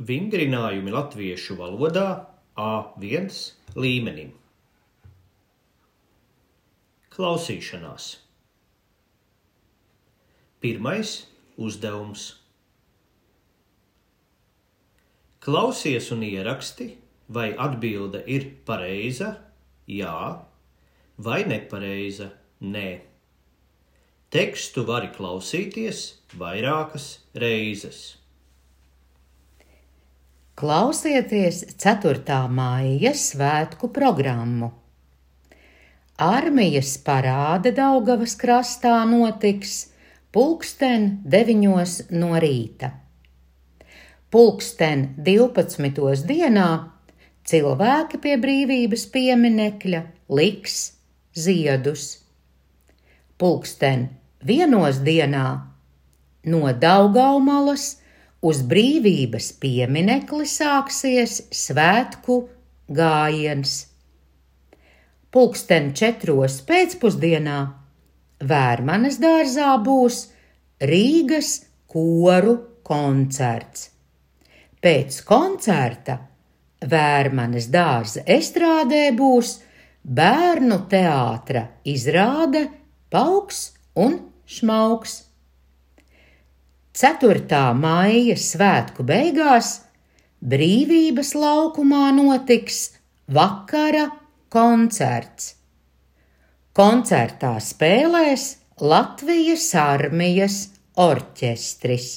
Vingrinājumi latviešu valodā A1 līmenim. Klausīšanās. Pirmais uzdevums. Klausies un ieraksti, vai atbilde ir pareiza, jā, vai nepareiza, nē. Tekstu vari klausīties vairākas reizes. Klausieties 4. maija svētku programmu. Armijas parāde Daugavas krastā notiks 9:00 no rīta. 12:00 dienā cilvēki pie Brīvības pieminekļa liks ziedus. 1:00 dienā no Daugavmalas uz Brīvības pieminekli sāksies svētku gājiens. 4:00 pēcpusdienā Vērmanes dārzā būs Rīgas koru koncerts. Pēc koncerta Vērmanes dārza estrādē būs bērnu teātra izrāde Pauks un šmauks. 4. maija svētku beigās Brīvības laukumā notiks vakara koncerts. Koncertā spēlēs Latvijas armijas orķestris.